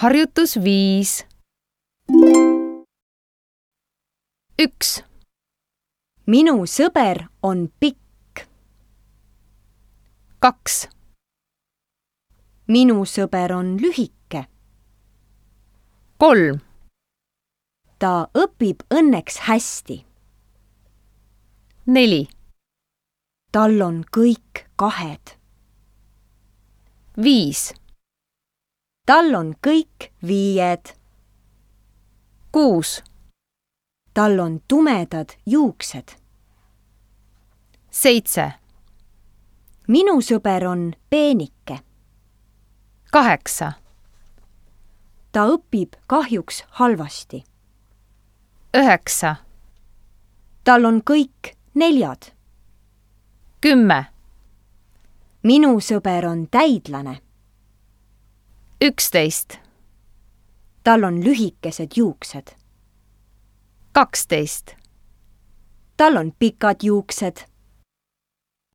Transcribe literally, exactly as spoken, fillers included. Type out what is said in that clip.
Harjutus viis. Üks. Minu sõber on pikk. Kaks. Minu sõber on lühike. Kolm. Ta õpib õnneks hästi. Neli. Tal on kõik kahed. Viis. Tal on kõik viied. Kuus. Tal on tumedad juuksed. Seitse. Minu sõber on peenike. Kaheksa. Ta õpib kahjuks halvasti. Üheksa. Tal on kõik neljad. Kümme. Minu sõber on täidlane. Üksteist. Tal on lühikesed juuksed. Kaksteist. Tal on pikad juuksed.